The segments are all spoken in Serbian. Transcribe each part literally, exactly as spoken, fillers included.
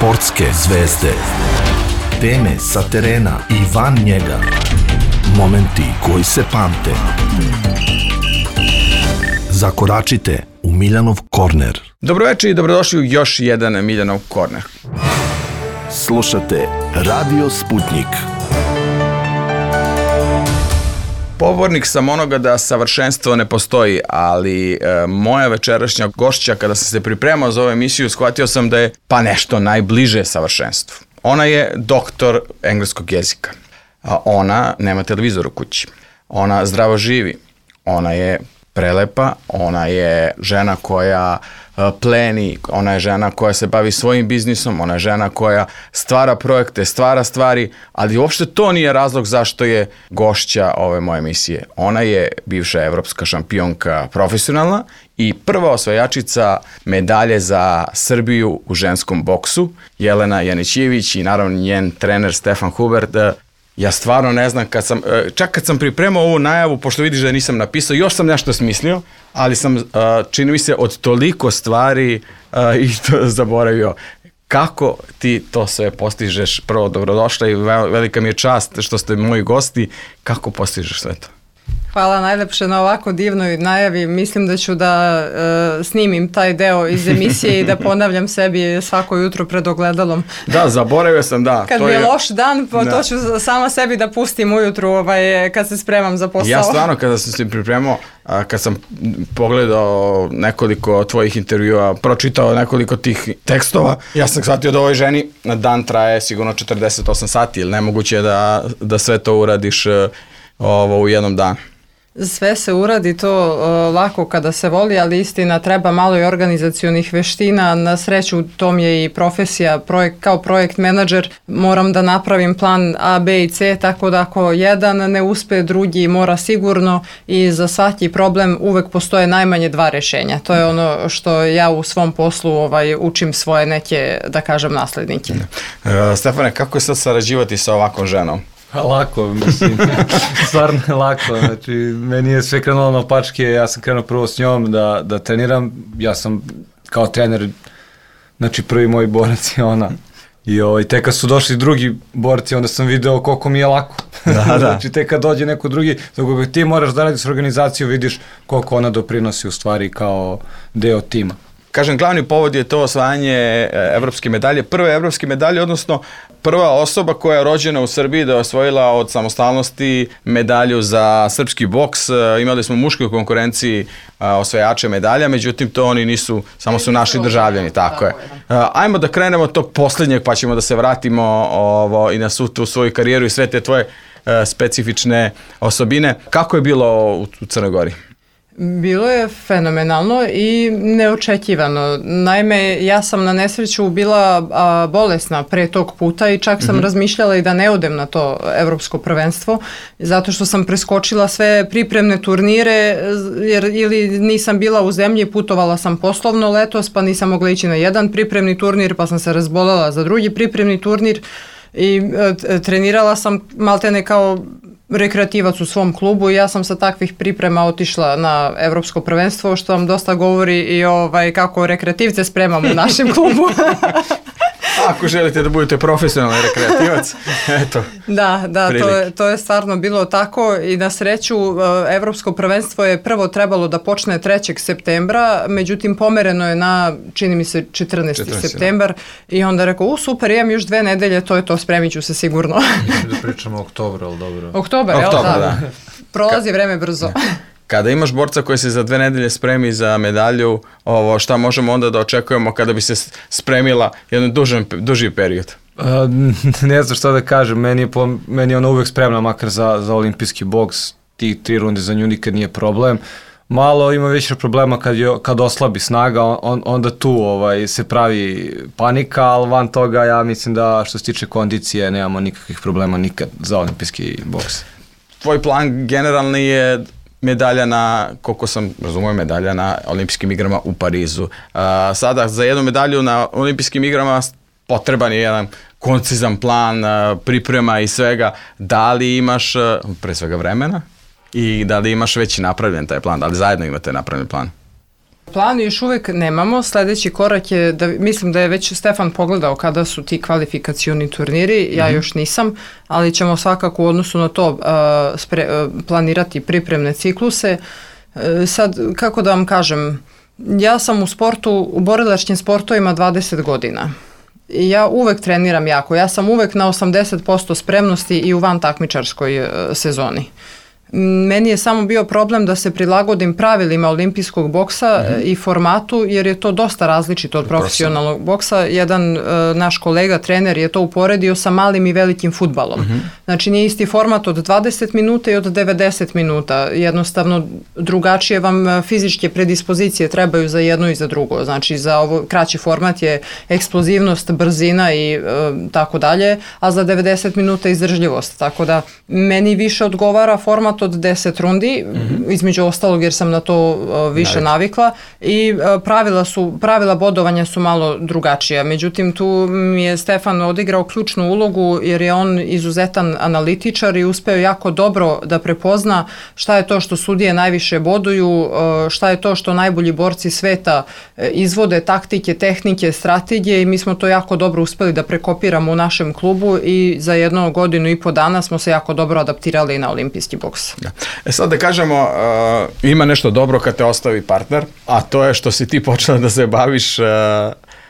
Sportske zvezde. Teme sa terena i van njega. Momenti koji se pamte. Zakoračite u Miljanov korner. Dobroveče i dobrodošli u još jedan Miljanov korner. Slušate Radio Sputnik. Pobornik sam onoga da savršenstvo ne postoji, ali e, moja večerašnja gošća, kada sam se pripremao za ovu emisiju, shvatio sam da je pa nešto najbliže savršenstvu. Ona je doktor engleskog jezika. A ona nema televizor u kući. Ona zdravo živi. Ona je prelepa. Ona je žena koja e, pleni. Ona je žena koja se bavi svojim biznisom. Ona je žena koja stvara projekte, stvara stvari, ali uopšte to nije razlog zašto je gošća ove moje emisije. Ona je bivša evropska šampionka profesionalna i prva osvajačica medalje za Srbiju u ženskom boksu, Jelena Janićijević, i naravno njen trener Stefan Hubert. Ja stvarno ne znam, kad sam, čak kad sam pripremao ovu najavu, pošto vidiš da nisam napisao, još sam nešto smislio, ali sam, čini mi se, od toliko stvari i to zaboravio. Kako ti to sve postižeš? Prvo, dobrodošla i velika mi je čast što ste moji gosti. Kako postižeš sve to? Hvala najlepše na ovako divnoj najavi. Mislim da ću da e, snimim taj deo iz emisije i da ponavljam sebi svako jutro pred ogledalom. Da, zaboravio sam, da. Kad to mi je je loš dan, pa da. To ću sama sebi da pustim ujutru ovaj, kad se spremam za posao. Ja stvarno, kada sam se pripremao, kad sam pogledao nekoliko tvojih intervjua, pročitao nekoliko tih tekstova, ja sam shvatio da ovoj ženi na dan traje sigurno četrdeset osam sati, ili nemoguće je da, da sve to uradiš ovo, u jednom danu. Sve se uradi to uh, lako kada se voli, ali istina treba malo i organizacionih veština. Na sreću to mi je i profesija, projekt, kao projekt menadžer moram da napravim plan A, B i C, tako da ako jedan ne uspe, drugi mora sigurno, i za svaki problem uvek postoje najmanje dva rešenja. To je ono što ja u svom poslu ovaj, učim svoje neke, da kažem, naslednike. Uh, Stefane, kako je sad sarađivati sa ovakvom ženom? Lako, mislim, stvarno je lako, znači, meni je sve krenulo na pačke, ja sam krenuo prvo s njom da, da treniram, ja sam kao trener, znači prvi moj borac je ona, i ovaj, tek kad su došli drugi borci, onda sam video koliko mi je lako, da, da. Znači tek kad dođe neko drugi, dok ti moraš da radiš s organizacijom, vidiš koliko ona doprinosi u stvari kao deo tima. Kažem, glavni povod je to osvajanje evropske medalje, prve evropske medalje, odnosno prva osoba koja je rođena u Srbiji da je osvojila od samostalnosti medalju za srpski boks. Imali smo u muškoj konkurenciji osvajače medalja, međutim to oni nisu, samo su naši državljani, tako je. Ajmo da krenemo od tog posljednjeg, pa ćemo da se vratimo ovo, i na svu tu svoju karijeru i sve te tvoje specifične osobine. Kako je bilo u, u Crnoj Gori? Bilo je fenomenalno i neočekivano. Naime, ja sam na nesreću bila a, bolesna pre tog puta i čak sam mm-hmm. razmišljala i da ne odem na to evropsko prvenstvo, zato što sam preskočila sve pripremne turnire, jer ili nisam bila u zemlji, putovala sam poslovno letos, pa nisam mogla ići na jedan pripremni turnir, pa sam se razbolela za drugi pripremni turnir i e, trenirala sam maltene kao rekreativac u svom klubu i ja sam sa takvih priprema otišla na evropsko prvenstvo, što vam dosta govori i ovaj, kako rekreativce spremamo u našem klubu. Ako želite da budete profesionalni rekreativac, eto. Da, da, to je, to je stvarno bilo tako i na sreću evropsko prvenstvo je prvo trebalo da počne trećeg septembra, međutim pomereno je na, čini mi se, četrnaesti septembar i onda rekao, u super, imam još dve nedelje, to je to, spremit ću se sigurno. Mislim da pričamo o oktobru, ali dobro. Oktobar, jel? Oktobar, da. da. Prolazi Ka- vreme brzo. Ne. Kada imaš borca koji se za dve nedelje spremi za medalju, ovo, šta možemo onda da očekujemo kada bi se spremila jedan duži, duži period? Uh, ne znam šta da kažem, meni je, po, meni je ona uvek spremna, makar za, za olimpijski boks, ti tri runde za nju nikad nije problem. Malo ima više problema kad, je, kad oslabi snaga, on, onda tu ovaj, se pravi panika, ali van toga ja mislim da što se tiče kondicije nemamo nikakvih problema nikad za olimpijski boks. Tvoj plan generalni je medalja na, koliko sam razumio, medalja na olimpijskim igrama u Parizu. Uh, sada za jednu medalju na olimpijskim igrama potreban je jedan koncizan plan, uh, priprema i svega. Da li imaš uh, pre svega vremena i da li imaš već napravljen taj plan? Da li zajedno imate napravljen plan? Plan još uvek nemamo, sledeći korak je, da, mislim da je već Stefan pogledao kada su ti kvalifikacioni turniri, ja mm-hmm. još nisam, ali ćemo svakako u odnosu na to uh, spre, uh, planirati pripremne cikluse. Uh, sad, kako da vam kažem, ja sam u sportu, u borilačkim sportovima dvadeset godina. I ja uvek treniram jako, ja sam uvek na osamdeset posto spremnosti i u van takmičarskoj uh, sezoni. Meni je samo bio problem da se prilagodim pravilima olimpijskog boksa mm-hmm. i formatu, jer je to dosta različito od profesionalnog boksa. Jedan uh, naš kolega, trener, je to uporedio sa malim i velikim fudbalom. Mm-hmm. Znači nije isti format od dvadeset minuta i od devedeset minuta. Jednostavno drugačije vam fizičke predispozicije trebaju za jedno i za drugo. Znači za ovo kraći format je eksplozivnost, brzina i uh, tako dalje, a za devedeset minuta izdržljivost. Tako da meni više odgovara format od deset rundi, mm-hmm. između ostalog jer sam na to uh, više Naravno. navikla i uh, pravila su, pravila bodovanja su malo drugačija. Međutim, tu mi je Stefan odigrao ključnu ulogu jer je on izuzetan analitičar i uspeo jako dobro da prepozna šta je to što sudije najviše boduju, uh, šta je to što najbolji borci sveta uh, izvode, taktike, tehnike, strategije i mi smo to jako dobro uspeli da prekopiramo u našem klubu i za jednu godinu i po dana smo se jako dobro adaptirali na olimpijski boks. Da. E sad da kažemo, uh, ima nešto dobro kad te ostavi partner, a to je što si ti počela da se baviš uh,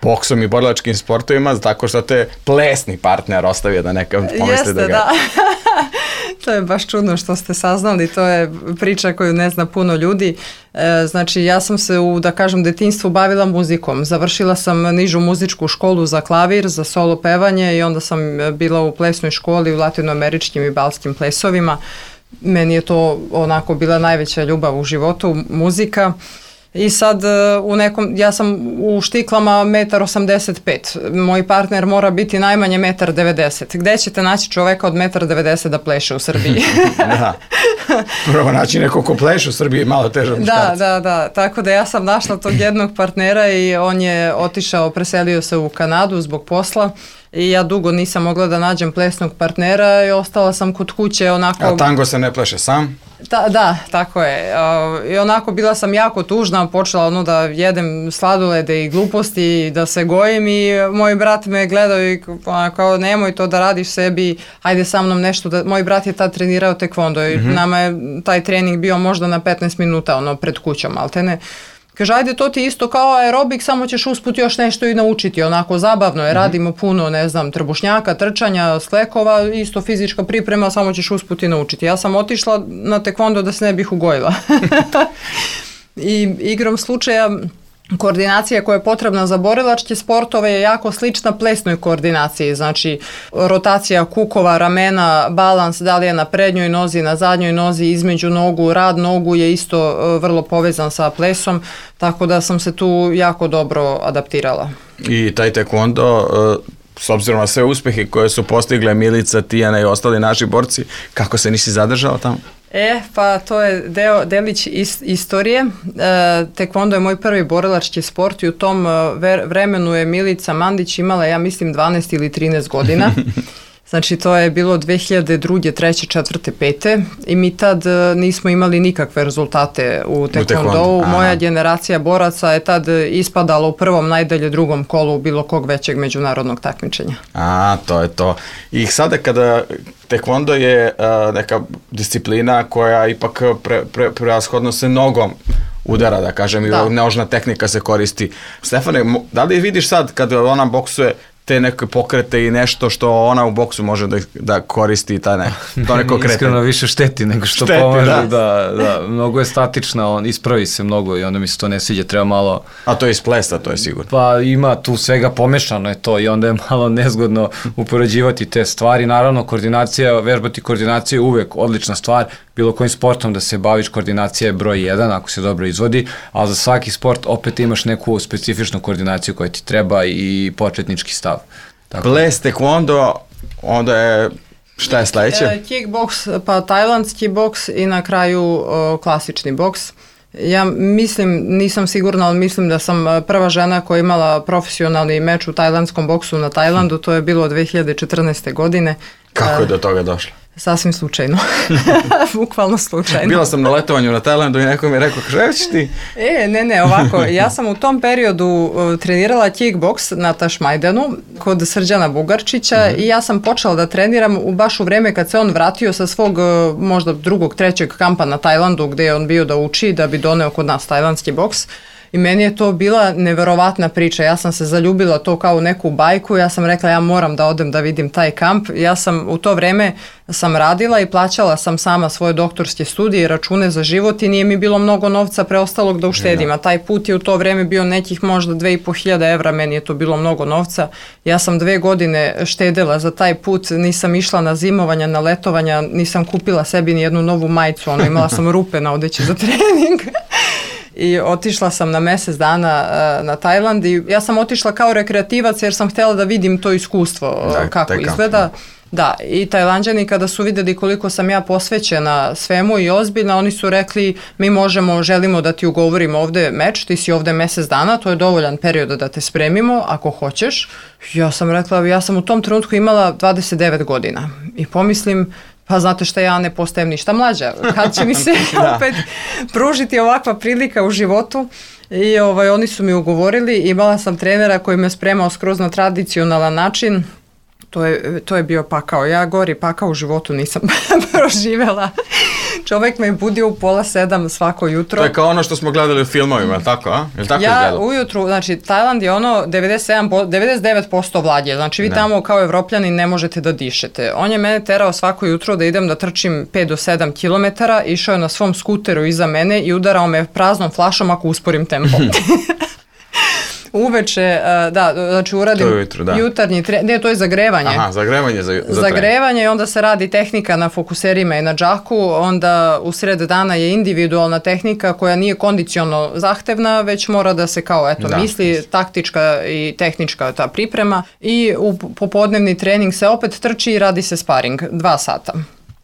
boksom i borilačkim sportovima, tako što te plesni partner ostavio, da neka pomisli Jeste, da ga... da. To je baš čudno što ste saznali, to je priča koju ne zna puno ljudi. E, znači ja sam se u, da kažem, detinjstvu bavila muzikom. Završila sam nižu muzičku školu za klavir, za solo pevanje i onda sam bila u plesnoj školi u latinoameričkim i balskim plesovima. Meni je to onako bila najveća ljubav u životu, muzika. I sad u nekom, ja sam u štiklama metar osamdeset pet, moj partner mora biti najmanje metar devedeset. Gde ćete naći čoveka od metar devedeset da pleše u Srbiji? Da. Prvo naći neko ko pleše u Srbiji je malo teže od muškarca. Da, da, da. Tako da ja sam našla tog jednog partnera i on je otišao, preselio se u Kanadu zbog posla. I ja dugo nisam mogla da nađem plesnog partnera i ostala sam kod kuće onako... A tango se ne pleše sam? Ta, da, tako je. Uh, I onako bila sam jako tužna, počela ono da jedem sladolede i gluposti, da se gojim i moj brat me gledao i kao nemoj to da radiš sebi, ajde sa mnom nešto. Da... Moj brat je tad trenirao tekvondo i mm-hmm. nama je taj trening bio možda na petnaest minuta ono pred kućom, ali te ne... Kaže, ajde, to ti isto kao aerobik, samo ćeš usput još nešto i naučiti, onako zabavno je, mm-hmm. radimo puno, ne znam, trbušnjaka, trčanja, sklekova, isto fizička priprema, samo ćeš usput i naučiti. Ja sam otišla na tekvondo da se ne bih ugojila. I igrom slučaja, koordinacija koja je potrebna za borilačke sportove je jako slična plesnoj koordinaciji, znači rotacija kukova, ramena, balans, da li je na prednjoj nozi, na zadnjoj nozi, između nogu, rad nogu je isto vrlo povezan sa plesom, tako da sam se tu jako dobro adaptirala. I taj tekvondo, s obzirom na sve uspehe koje su postigle Milica, Tijana i ostali naši borci, kako se nisi zadržala tamo? E, pa to je deo, delić is, istorije. E, tekvondo je moj prvi borilački sport i u tom ver, vremenu je Milica Mandić imala, ja mislim, dvanaest ili trinaest godina. Znači to je bilo dve hiljade druge, treće, četvrte, pete i mi tad nismo imali nikakve rezultate u tekvondou. Moja generacija boraca je tad ispadala u prvom, najdalje drugom kolu bilo kog većeg međunarodnog takmičenja. A, to je to. I sada kada tekvondo je uh, neka disciplina koja ipak pre, pre, prevashodno se nogom udara, da kažem, da. I nožna tehnika se koristi. Stefane, da li vidiš sad kada ona boksuje te neke pokrete i nešto što ona u boksu može da, da koristi ta ne, to neko kretanje? Iskreno više šteti nego što šteti, pomaže. Da. Da, da, mnogo je statična, on ispravi se mnogo i onda mi se to ne sviđa, treba malo... A to je iz plesa, to je sigurno. Pa ima tu svega pomešano je to i onda je malo nezgodno upoređivati te stvari. Naravno, koordinacija, vežbati koordinaciju je uvek odlična stvar. Bilo kojim sportom da se baviš, koordinacija je broj jedan ako se dobro izvodi, ali za svaki sport opet imaš neku specifičnu koordinaciju koja ti treba i početnički stav. Tako. Ples, tekvondo, onda je, šta je sledeće? E, kickboks, pa tajlandski boks i na kraju o, klasični boks. Ja mislim, nisam sigurna, ali mislim da sam prva žena koja je imala profesionalni meč u tajlandskom boksu na Tajlandu, to je bilo dve hiljade četrnaeste godine. Kako je do toga došlo? Sasvim slučajno. Bukvalno slučajno. Bila sam na letovanju na Tajlandu i neko mi je rekao, kaže, ćeš ti? E, ne, ne, ovako, ja sam u tom periodu uh, trenirala kickboks na Tašmajdanu kod Srđana Bugarčića mm-hmm. i ja sam počela da treniram u baš u vreme kad se on vratio sa svog uh, možda drugog, trećeg kampa na Tajlandu gde je on bio da uči, da bi doneo kod nas tajlandski boks. I meni je to bila neverovatna priča. Ja sam se zaljubila to kao u neku bajku. Ja sam rekla ja moram da odem da vidim taj kamp. Ja sam u to vreme sam radila i plaćala sam sama svoje doktorske studije i račune za život i nije mi bilo mnogo novca preostalog da uštedim. A taj put je u to vreme bio nekih možda dve i po hiljade evra. Meni je to bilo mnogo novca. Ja sam dve godine štedela za taj put. Nisam išla na zimovanja, na letovanja. Nisam kupila sebi ni jednu novu majicu. Ono, imala sam rupe na odeći za trening. I otišla sam na mjesec dana uh, na Tajland i ja sam otišla kao rekreativac jer sam htjela da vidim to iskustvo uh, da, kako izgleda. Da, i Tajlanđani kada su vidjeli koliko sam ja posvećena svemu i ozbiljna, oni su rekli mi možemo, želimo da ti ugovorimo ovdje meč, ti si ovdje mjesec dana, to je dovoljan period da te spremimo ako hoćeš. Ja sam rekla, ja sam u tom trenutku imala dvadeset devet godina i pomislim, pa znate šta, ja ne postajem ništa mlađa. Kad će mi se opet pružiti ovakva prilika u životu? I ovaj, oni su mi ugovorili, imala sam trenera koji me spremao skroz na tradicionalan način. To je, to je bio pakao. Ja gori pakao u životu nisam proživjela. Čovjek me budio u pola sedam svako jutro. To je kao ono što smo gledali u filmovima, tako, a? Je li tako ja izgledalo? Ujutru, znači Tajland je ono devedeset sedam, devedeset devet posto vlage, znači vi ne. Tamo kao Evropljani ne možete da dišete. On je mene terao svako jutro da idem da trčim pet do sedam kilometara, išao je na svom skuteru iza mene i udarao me praznom flašom ako usporim tempo. Uveče, da, znači uradim ujutru, da. jutarnji trening, ne, to je zagrevanje. Aha, zagrevanje za, za Zagrevanje i onda se radi tehnika na fokuserima i na džaku, onda u sred dana je individualna tehnika koja nije kondicionalno zahtevna, već mora da se kao, eto, da. misli, taktička i tehnička ta priprema i u popodnevni trening se opet trči i radi se sparing, dva sata.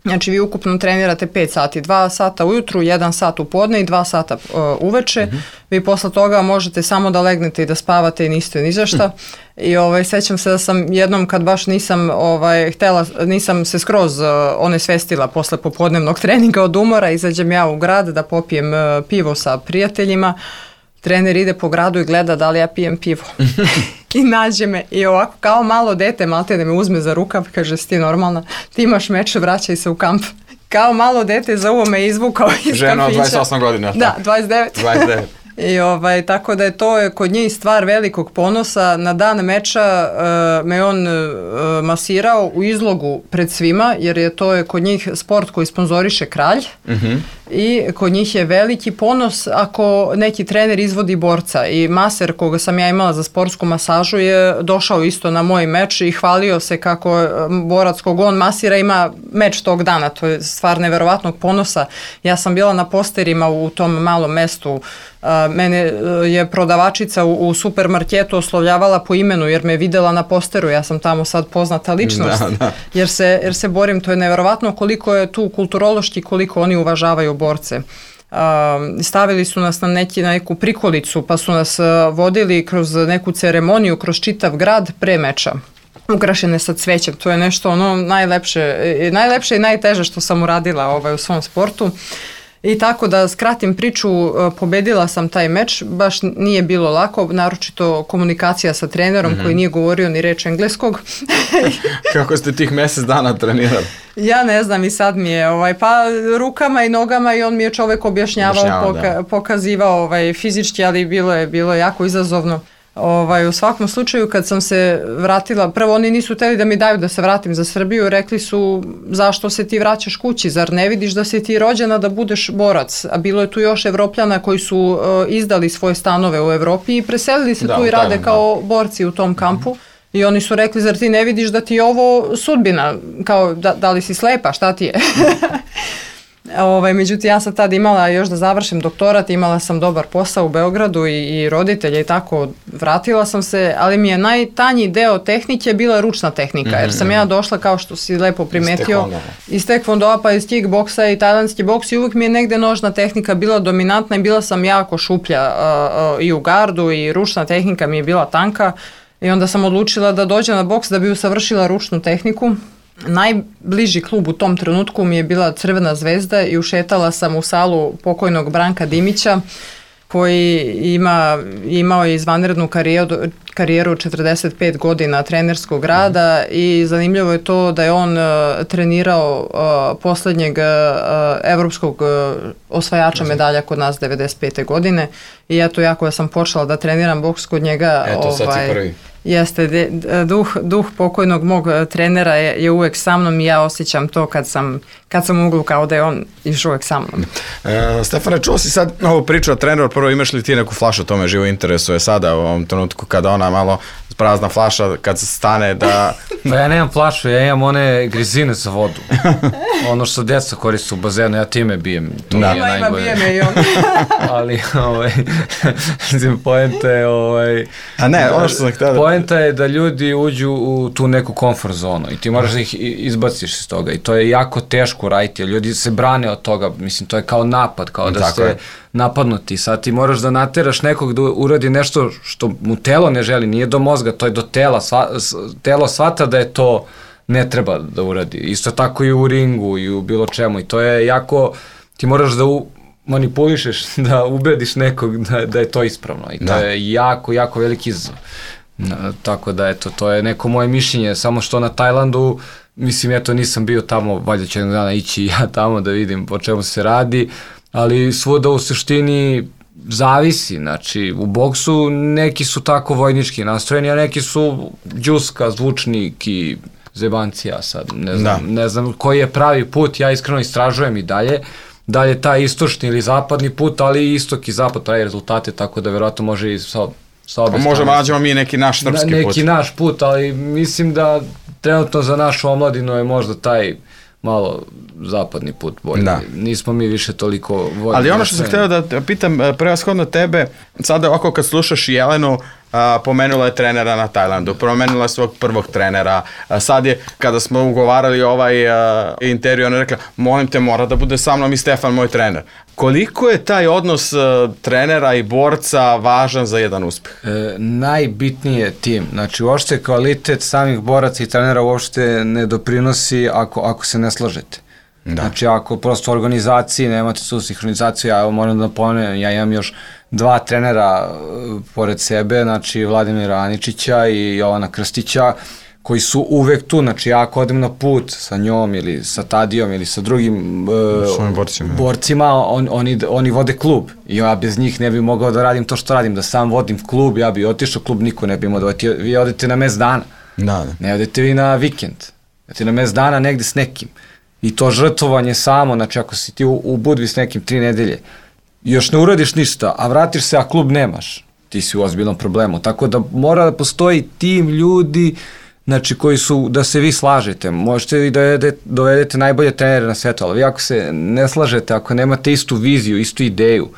Znači vi ukupno trenirate pet sati, dva sata ujutru, jedan sat u podne i dva sata uh, uveče. Mm-hmm. Vi posle toga možete samo da legnete i da spavate i niste ni za šta. I ovaj, sećam se da sam jednom kad baš nisam ovaj, htela, nisam se skroz uh, onesvestila posle popodnevnog treninga od umora, izađem ja u grad da popijem uh, pivo sa prijateljima. Trener ide po gradu i gleda da li ja pijem pivo. I nađe me i ovako kao malo dete malte da me uzme za rukav, kaže si ti normalna, ti imaš meč, vraćaj se u kamp. Kao malo dete za uvo me izvukao iz Žena kampića. Žena od dvadeset osam godina. Da, dvadeset devet. dvadeset devet. I ovaj, tako da je to kod njih stvar velikog ponosa. Na dan meča uh, me on uh, masirao u izlogu pred svima, jer je to je kod njih sport koji sponzoriše kralj. Mm-hmm. I kod njih je veliki ponos ako neki trener izvodi borca. I maser koga sam ja imala za sportsku masažu je došao isto na moj meč i hvalio se kako borac kog on masira ima meč tog dana. To je stvar neverovatnog ponosa. Ja sam bila na posterima u tom malom mestu. Uh, mene je prodavačica u, u supermarketu oslovljavala po imenu jer me videla na posteru, ja sam tamo sad poznata ličnost, da, da. Jer, se, jer se borim, to je neverovatno koliko je tu kulturološki, koliko oni uvažavaju borce. Uh, stavili su nas na, neki, na neku prikolicu pa su nas uh, vodili kroz neku ceremoniju, kroz čitav grad pre meča. Ukrašene sa cvećem, to je nešto ono najlepše, najlepše i najteže što sam uradila ovaj, u svom sportu. I tako da skratim priču, pobedila sam taj meč, baš nije bilo lako, naročito komunikacija sa trenerom mm-hmm. koji nije govorio ni reč engleskog. Kako ste tih mjesec dana trenirali? Ja ne znam i sad mi je, ovaj, pa rukama i nogama i on mi je čovjek objašnjavao, Objašnjava, poka- pokazivao ovaj, fizički, ali bilo je, bilo je jako izazovno. Ovaj, u svakom slučaju kad sam se vratila, prvo oni nisu htjeli da mi daju da se vratim za Srbiju, rekli su zašto se ti vraćaš kući, zar ne vidiš da si ti rođena da budeš borac, a bilo je tu još Evropljana koji su uh, izdali svoje stanove u Evropi i preselili se da, tu i rade tajom, kao da. borci u tom kampu. Mm-hmm. I oni su rekli, zar ti ne vidiš da ti je ovo sudbina, kao da, da li si slepa, šta ti je? Ovaj, međutim, ja sam tad imala još da završim doktorat, imala sam dobar posao u Beogradu i, i roditelje i tako, vratila sam se, ali mi je najtanji deo tehnike bila ručna tehnika, mm-hmm. jer sam ja došla, kao što si lepo primetio, iz tekvondoa pa iz kickboksa i tajlandski boks i uvijek mi je negde nožna tehnika bila dominantna i bila sam jako šuplja uh, uh, i u gardu i ručna tehnika mi je bila tanka i onda sam odlučila da dođem na boks da bi usavršila ručnu tehniku. Najbliži klub u tom trenutku mi je bila Crvena zvezda i ušetala sam u salu pokojnog Branka Dimića, koji ima, imao je izvanrednu karijeru, karijeru četrdeset pet godina trenerskog rada i zanimljivo je to da je on uh, trenirao uh, poslednjeg uh, evropskog uh, osvajača medalja kod nas devedeset pete godine i eto ja koja sam počela da treniram boks kod njega. Eto sad si prvi. Jeste, de, duh, duh pokojnog mog trenera je, je uvek sa mnom i ja osjećam to kad sam, kad sam u uglu kao da je on još uvek sa mnom. E, Stefane, čuo si sad ovu priču o treneru, prvo imaš li ti neku flašu, to me živo interesuje sada u ovom trenutku kada ona malo prazna flaša, kad se stane da... Da, ja nemam flašu, ja imam one grizine za vodu. Ono što djeca koriste u bazenu, ja time bijem. To da. Ima, ima bije me i on. Ali, ovaj, poenta je, ovaj... A ne, ono što sam htio da... Poenta je da ljudi uđu u tu neku komfort zonu i ti moraš da ih izbaciš iz toga i to je jako teško raditi, jer ljudi se brane od toga, mislim, to je kao napad, kao da ste napadnuti, sad ti moraš da nateraš nekog da uradi nešto što mu telo ne želi, nije do mozga, to je do tela, sva, telo shvata da je to ne treba da uradi, isto tako i u ringu i u bilo čemu i to je jako, ti moraš da u, manipulišeš, da ubediš nekog da, da je to ispravno i to da. je jako, jako veliki izazov. No, tako da eto, to je neko moje mišljenje, samo što na Tajlandu, mislim, eto, nisam bio tamo, valjda ću jednog dana ići ja tamo da vidim po čemu se radi, ali svuda u suštini zavisi, znači u boksu neki su tako vojnički nastrojeni, a neki su džuska, zvučnik i zebancija sad, ne znam, da. ne znam koji je pravi put, ja iskreno istražujem i dalje, da li je taj istočni ili zapadni put, ali i istok i zapad pravi rezultate, tako da verovatno može i sa, sa obe strane. Možemo nađemo mi neki naš srpski neki put. Neki naš put, ali mislim da trenutno za našu omladinu je možda taj malo zapadni put bolji. Da. Nismo mi više toliko voljni. Ali ono što sam htio da pitam prevashodno tebe, sada ovako kad slušaš Jelenu, a, pomenula je trenera na Tajlandu, pomenula je svog prvog trenera, a, sad je, kada smo ugovarali ovaj a, intervju, ona je rekla, molim te, mora da bude sa mnom i Stefan, moj trener. Koliko je taj odnos a, trenera i borca važan za jedan uspeh? E, najbitniji je tim. Znači, uopšte kvalitet samih boraca i trenera uopšte ne doprinosi ako, ako se ne slažete. Da. Znači, ako prosto u organizaciji nemate tu sinhronizaciju, ja moram da pomenem, ja imam još dva trenera uh, pored sebe, znači Vladimira Aničića i Jovana Krstića, koji su uvek tu, znači ja ako odem na put sa njom ili sa Tadijom ili sa drugim uh, borcima, borcima on, oni, oni vode klub i ja bez njih ne bi mogao da radim to što radim, da sam vodim klub, ja bi otišao, klub niko ne bi imao da vodi, vi odete na mes dana, da, da. ne odete vi na vikend, odete na mes dana negde s nekim. I to žrtvovanje samo, znači ako si ti u, u Budvi s nekim tri nedelje, još ne uradiš ništa, a vratiš se, a klub nemaš, ti si u ozbiljnom problemu. Tako da mora da postoji tim ljudi, znači koji su, da se vi slažete. Možete vi dovedete, dovedete najbolje trenere na svetu, ali vi ako se ne slažete, ako nemate istu viziju, istu ideju,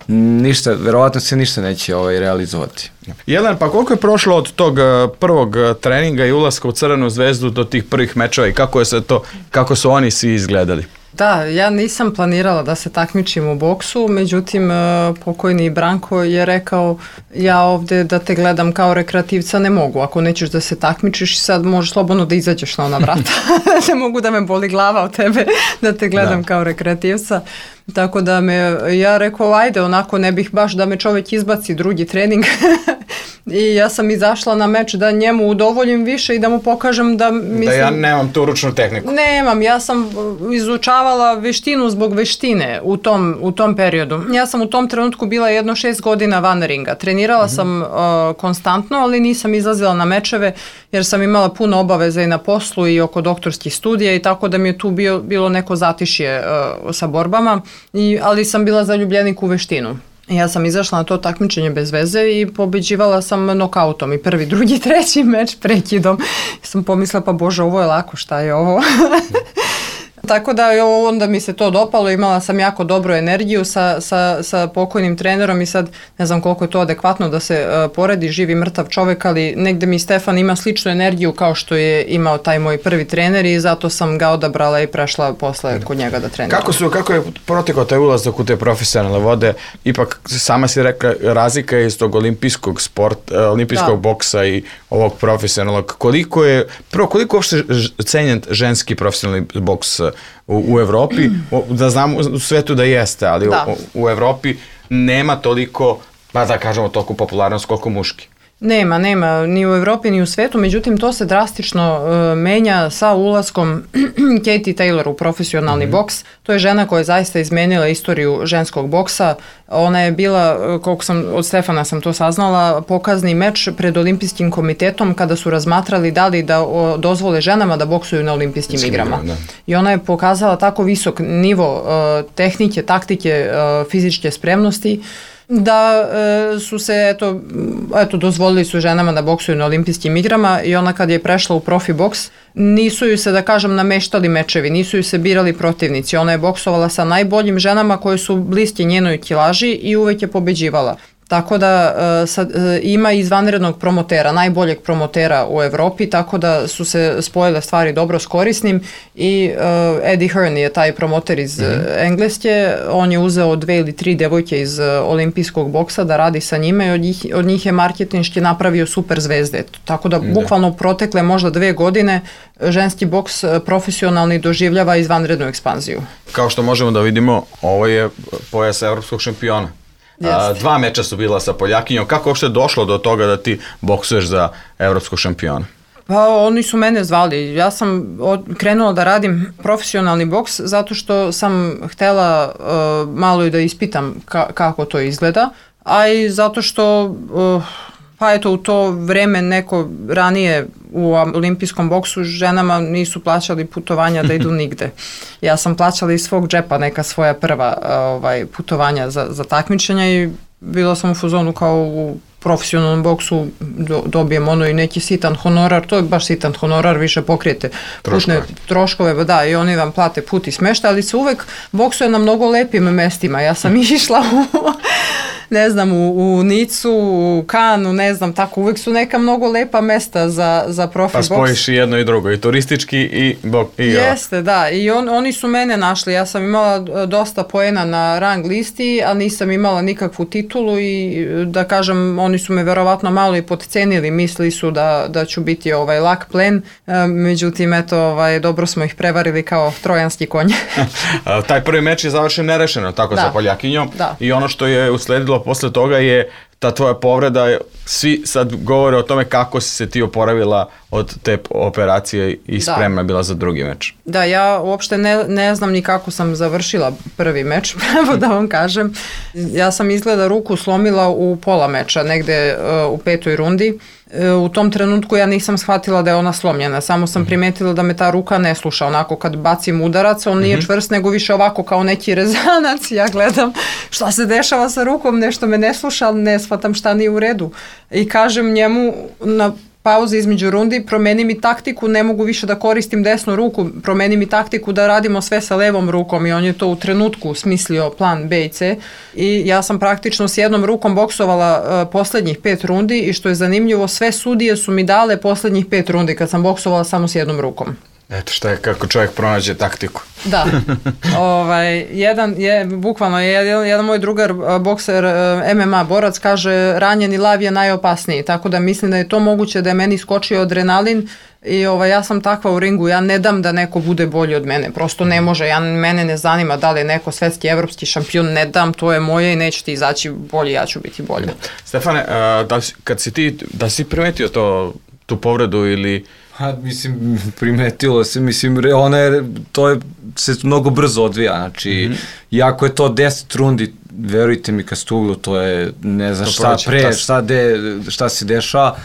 ništa, verovatno se ništa neće ovaj, realizovati. Jelena, pa koliko je prošlo od tog prvog treninga i ulaska u Crvenu zvezdu do tih prvih mečeva i kako je se to, kako su oni svi izgledali? Da, ja nisam planirala da se takmičim u boksu, međutim pokojni Branko je rekao ja ovde da te gledam kao rekreativca ne mogu, ako nećeš da se takmičiš sad možeš slobodno da izađeš na ona vrata, ne mogu da me boli glava od tebe da te gledam da. Kao rekreativca. Tako da me, ja rekao, ajde, onako ne bih baš da me čovjek izbaci drugi trening. I ja sam izašla na meč da njemu udovoljim više i da mu pokažem da... Mislim, da ja nemam tu ručnu tehniku. Nemam, ja sam izučavala veštinu zbog veštine u tom, u tom periodu. Ja sam u tom trenutku bila jedno šest godina van ringa. Trenirala mm-hmm. sam uh, konstantno, ali nisam izlazila na mečeve jer sam imala puno obaveza i na poslu i oko doktorskih studija i tako da mi je tu bio, bilo neko zatišje uh, sa borbama. I, ali sam bila zaljubljenik u veštinu. Ja sam izašla na to takmičenje bez veze i pobeđivala sam nokautom i prvi, drugi, treći meč prekidom. Ja sam pomislila, pa bože, ovo je lako, šta je ovo? Tako da onda mi se to dopalo, imala sam jako dobru energiju sa, sa, sa pokojnim trenerom i sad ne znam koliko je to adekvatno da se uh, poredi živi mrtav čovek, ali negde mi Stefan ima sličnu energiju kao što je imao taj moj prvi trener i zato sam ga odabrala i prešla posle kod njega da treniram. Kako su, kako je protekao taj ulazak u te profesionalne vode? Ipak sama si rekla razlika je iz tog olimpijskog sporta, olimpijskog da. boksa i ovog profesionalnog. Koliko je, prvo koliko uopšte cenjen ženski profesionalni boks u, u Evropi? Da znamo u svetu da jeste, ali da. U, u Evropi nema toliko, pa da kažemo, toliko popularnost koliko muški. Nema, nema, ni u Evropi ni u svetu, međutim to se drastično uh, menja sa ulaskom Katie Taylor u profesionalni mm-hmm. boks. To je žena koja je zaista izmenila istoriju ženskog boksa. Ona je bila, koliko sam, od Stefana sam to saznala, pokazni meč pred olimpijskim komitetom kada su razmatrali da li da o, dozvole ženama da boksuju na olimpijskim Skim, igrama. Da. I ona je pokazala tako visok nivo uh, tehnike, taktike, uh, fizičke spremnosti, da e, su se, eto, eto, dozvolili su ženama da boksuju na olimpijskim igrama i ona kad je prešla u profi boks, nisu ju se, da kažem, nameštali mečevi, nisu ju se birali protivnici. Ona je boksovala sa najboljim ženama koje su bliske njenoj kilaži i uvek je pobeđivala. Tako da uh, sad, uh, ima izvanrednog promotera, najboljeg promotera u Evropi, tako da su se spojile stvari dobro s korisnim i uh, Eddie Hearn je taj promoter iz mm-hmm. Engleske, on je uzeo dve ili tri devojke iz uh, olimpijskog boksa da radi sa njime i od njih, od njih je marketinški napravio super zvezde. Tako da bukvalno protekle možda dve godine ženski boks profesionalni doživljava izvanrednu ekspanziju. Kao što možemo da vidimo, ovo je pojas evropskog šampiona. A, dva meča su bila sa Poljakinjom. Kako uopšte došlo do toga da ti boksuješ za evropskog šampiona? Pa oni su mene zvali. Ja sam od, krenula da radim profesionalni boks zato što sam htela uh, malo i da ispitam ka, kako to izgleda, a i zato što uh, pa eto u to vreme neko ranije u olimpijskom boksu ženama nisu plaćali putovanja da idu nigde. Ja sam plaćala iz svog džepa neka svoja prva ovaj, putovanja za, za takmičenja i bila sam u fazonu kao u profesionalnom boksu do, dobijem ono i neki sitan honorar, to je baš sitan honorar, više pokrijete putne troškove, da, i oni vam plate put i smešta, ali se uvek boksuje na mnogo lepim mestima. Ja sam išla u ne znam, u, u Nicu, u Kanu, ne znam, tako, uvek su neka mnogo lepa mesta za, za profi boks. Pa spojiš boks. I jedno i drugo, i turistički i bok. I Jeste, da, i on, oni su mene našli, ja sam imala dosta poena na rang listi, a nisam imala nikakvu titulu i da kažem, oni su me verovatno malo i podcenili, mislili su da, da ću biti ovaj lak plen, međutim, eto, ovaj, dobro smo ih prevarili kao trojanski konj. Taj prvi meč je završen nerešeno, tako da. Sa Poljakinjom, da. I ono što je usledilo posle toga je ta tvoja povreda, svi sad govore o tome kako si se ti oporavila od te operacije i spremna da. Bila za drugi meč. Da, ja uopšte ne, ne znam ni kako sam završila prvi meč, pravo da vam kažem. Ja sam izgleda ruku slomila u pola meča, negde uh, u petoj rundi. U tom trenutku ja nisam shvatila da je ona slomljena, samo sam primetila da me ta ruka ne sluša, onako kad bacim udarac, on nije čvrst nego više ovako kao neki rezanac, ja gledam šta se dešava sa rukom, nešto me ne sluša, ali ne shvatam šta nije u redu i kažem njemu na pauze između rundi, promeni mi taktiku, ne mogu više da koristim desnu ruku, promeni mi taktiku da radimo sve sa levom rukom i on je to u trenutku smislio plan B i C i ja sam praktično s jednom rukom boksovala uh, poslednjih pet rundi i što je zanimljivo, sve sudije su mi dale poslednjih pet rundi kad sam boksovala samo s jednom rukom. Eto šta je kako čovjek pronađe taktiku. Da, ovaj, jedan je, bukvalno je jedan, jedan moj drugar bokser, M M A borac, kaže ranjeni lav je najopasniji, tako da mislim da je to moguće da je meni skočio adrenalin i ovaj, ja sam takva u ringu, ja ne dam da neko bude bolji od mene, prosto ne može, ja, mene ne zanima da li je neko svetski, evropski šampion, ne dam, to je moje i neće ti izaći bolji, ja ću biti bolji. Stefane, da, kad si ti, da si primetio to, tu povredu ili... Ha, mislim, primetilo se, mislim, ona je, to je, se mnogo brzo odvija, znači, mm-hmm. iako je to deset rundi, verujte mi, kad stuglu, to je, ne znam šta pre, šta, de, šta se dešava,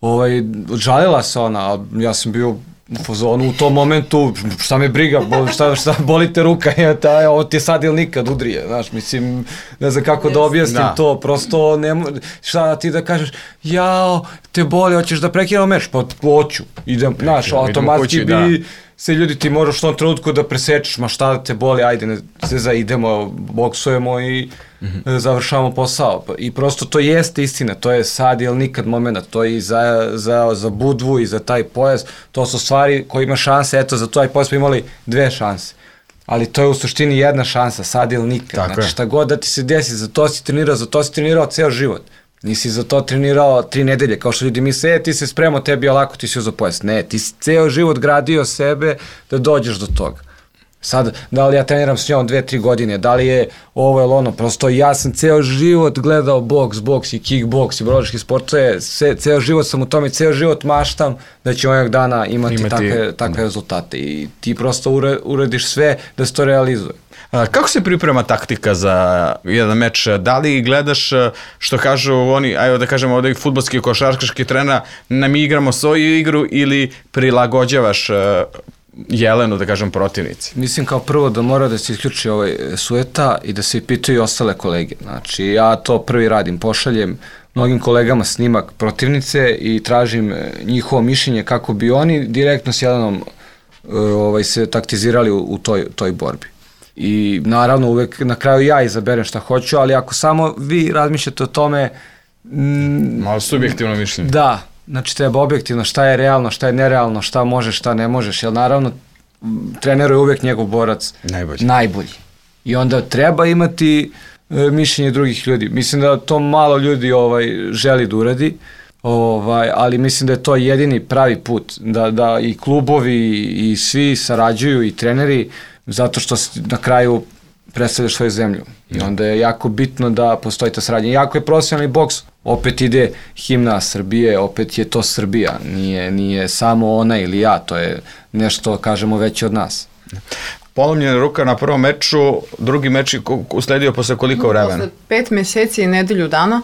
ovaj, žalila se ona, ja sam bio u fazonu u tom momentu, šta me briga, boli, šta, šta boli te ruka, je, ta, ovo ti je sad ili nikad udrije, znaš, mislim, ne znam kako yes. da objasnim da. To, prosto, ne, šta ti da kažeš, jao, te boli, hoćeš da prekinemo meč, pa hoću, idem, znaš, automatski bi, da. sve ljudi ti moraš u tom trenutku da presečeš, ma šta da te boli, ajde, ne, za idemo, boksujemo i mm-hmm. završavamo posao. I prosto to jeste istina, to je sad ili nikad moment, to je i za, za, za Budvu i za taj pojas, to su stvari koji ima šanse, eto za taj pojas smo imali dve šanse. Ali to je u suštini jedna šansa, sad ili nikad. Tako znači je. šta god da ti se desi, za to si trenirao, za to si trenirao ceo život. Nisi za to trenirao tri nedelje, kao što ljudi misle, e, ti se spremao, tebi je lako, ti si uzeo pojas. Ne, ti si ceo život gradio sebe da dođeš do toga. Sad, da li ja treniram s njom dve, tri godine, da li je ovo ili ono, prosto ja sam ceo život gledao boks, boks i kickboks i borilački sportove, ceo život sam u tome, ceo život maštam da će ovog dana imati, imati takve, takve rezultate i ti prosto ure, urediš sve da se to realizuje. A, kako se priprema taktika za jedan meč? Da li gledaš, što kažu oni, ajde da kažemo ovdje fudbalski košarkaški trenera, nam igramo svoju igru ili prilagođavaš Jelenu, da kažem, protivnici? Mislim kao prvo da mora da se isključi ovaj sueta i da se pitaju ostale kolege. Znači ja to prvi radim, pošaljem mnogim kolegama snimak protivnice i tražim njihovo mišljenje kako bi oni direktno s Jelenom ovaj, se taktizirali u, u toj, toj borbi. I naravno uvek na kraju ja izaberem šta hoću, ali ako samo vi razmišljate o tome... Mm, malo subjektivno mišljenje. Da, znači treba objektivno šta je realno, šta je nerealno, šta možeš, šta ne možeš, jer naravno trener je uvek njegov borac najbolji. najbolji. I onda treba imati e, mišljenje drugih ljudi. Mislim da to malo ljudi ovaj, želi da uradi, ovaj, ali mislim da je to jedini pravi put, da, da i klubovi i svi sarađuju i treneri, zato što na kraju predstavljaš svoju zemlju. I onda je jako bitno da postoji ta saradnja. Jako je profesionalni boks, opet ide himna Srbije, opet je to Srbija. Nije, nije samo ona ili ja, to je nešto, kažemo, veće od nas. Polomljena ruka na prvom meču, drugi meč je usledio posle koliko vremena? Posle pet meseci i nedelju dana,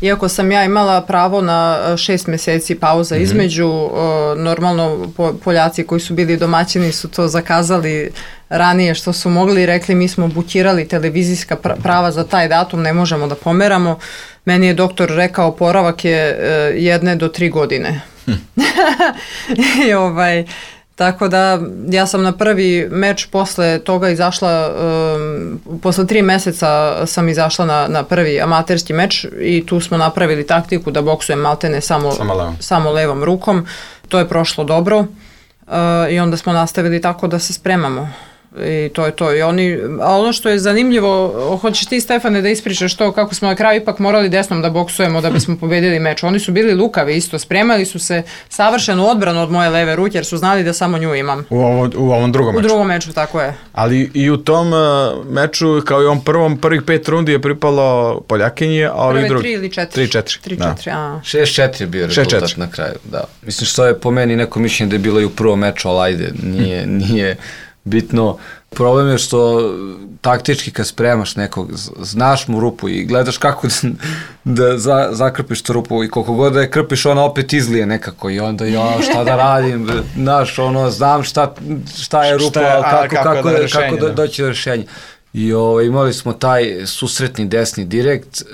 iako sam ja imala pravo na šest meseci pauza mm-hmm. između, normalno Poljaci koji su bili domaćini su to zakazali ranije što su mogli i rekli mi smo bukirali televizijska prava za taj datum, ne možemo da pomeramo. Meni je doktor rekao oporavak je jedne do tri godine. Hm. I ovaj... Tako da ja sam na prvi meč posle toga izašla, um, posle tri meseca sam izašla na, na prvi amaterski meč i tu smo napravili taktiku da boksujem maltene samo, samo, levom. samo levom rukom. To je prošlo dobro uh, i onda smo nastavili tako da se spremamo. I to je to. I oni, a ono što je zanimljivo, hoćeš ti, Stefane, da ispričaš to kako smo na kraju ipak morali desnom da boksujemo da bismo pobedili meč. Oni su bili lukavi isto, spremali su se savršenu odbranu od moje leve ruke jer su znali da samo nju imam. U, ovo, u ovom drugom meču? U drugom meču, tako je. Ali i u tom uh, meču, kao i u ovom prvom, prvih pet rundi je pripalo Poljakinji, a ovih Prve drugi? tri ili četiri. Tri, četiri. Tri, četiri, a. Šest, četiri je bio rezultat četiri. Na kraju, da. Mislim što je po meni neko mišljenje da je bilo i u prvom meču, ali ajde, nije, nije bitno. Problem je što taktički kad spremaš nekog, znaš mu rupu i gledaš kako da, da za, zakrpiš tu rupu i koliko god da je krpiš, ona opet izlije nekako i onda ja šta da radim, znaš, ono, znam šta, šta je rupa, ali kako, kako, kako, da, rešenje, kako da, doći do rešenja. I o, imali smo taj susretni desni direkt, e,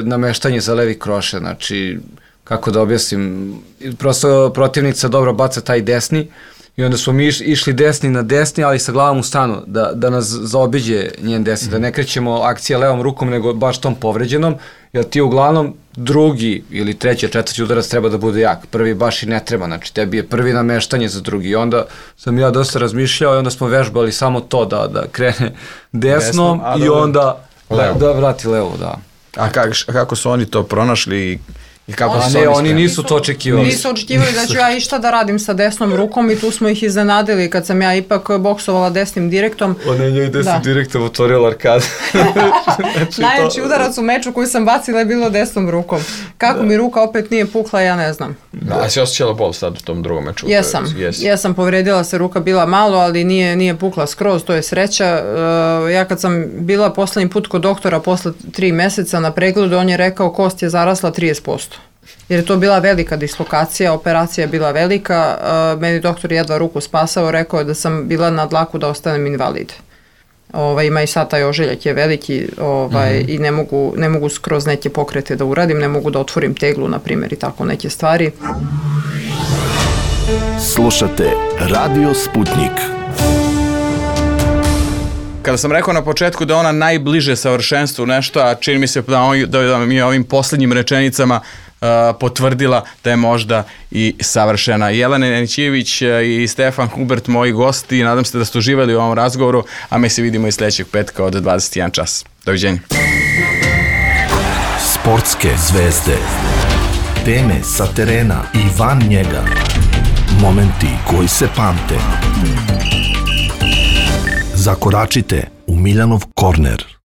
nameštanje za levi kroše, znači, kako da objasnim, prosto protivnica dobro baca taj desni, i onda smo mi išli desni na desni, ali sa glavom u stanu, da, da nas zaobiđe njen desni, mm-hmm. da ne krećemo akcija levom rukom, nego baš tom povređenom, jer ti uglavnom drugi ili treći, četvrti udarac treba da bude jak, prvi baš i ne treba, znači tebi je prvi nameštanje za drugi, i onda sam ja dosta razmišljao i onda smo vežbali samo to da, da krene desnom Desno, i onda da, da vrati levo, da. A kak, kako su oni to pronašli? I kako a su ne, oni, oni nisu to očekivali. Nisu očekivali da ću ja išta da radim sa desnom rukom i tu smo ih iznenadili kad sam ja ipak boksovala desnim direktom. Ona je njoj desnim da. direktom otvorila arkadu. Znači, najjači to... udarac u meču koji sam bacila je bilo desnom rukom. Kako da. mi ruka opet nije pukla, ja ne znam. Da, a si osjećala bol sad u tom drugom meču? Jesam, yes. jesam, povredila se ruka, bila malo, ali nije, nije pukla skroz, to je sreća. Uh, ja kad sam bila poslednji put kod doktora posle tri meseca na pregledu, on je rekao kost je zarasla trideset posto. Jer je to bila velika dislokacija, operacija je bila velika, uh, meni doktor jedva ruku spasao, rekao je da sam bila na dlaku da ostanem invalid. Ovaj, ima i sad taj ožiljak je veliki ovaj, mm-hmm. i ne mogu, ne mogu skroz neke pokrete da uradim, ne mogu da otvorim teglu, na primjer, i tako neke stvari. Slušate Radio Sputnik. Kada sam rekao na početku da ona najbliže savršenstvu nešto, a čini mi se da, on, da mi je ovim posljednjim rečenicama uh, potvrdila da je možda i savršena. Jelena Janićević i Stefan Hubert, moji gosti, nadam se da ste uživali u ovom razgovoru, a mi se vidimo i sljedećeg petka od dvadeset jedan čas. Doviđenja. Sportske zvezde. Teme sa terena i van njega. Momenti koji se pamte. Zakoračite u Miljanov korner.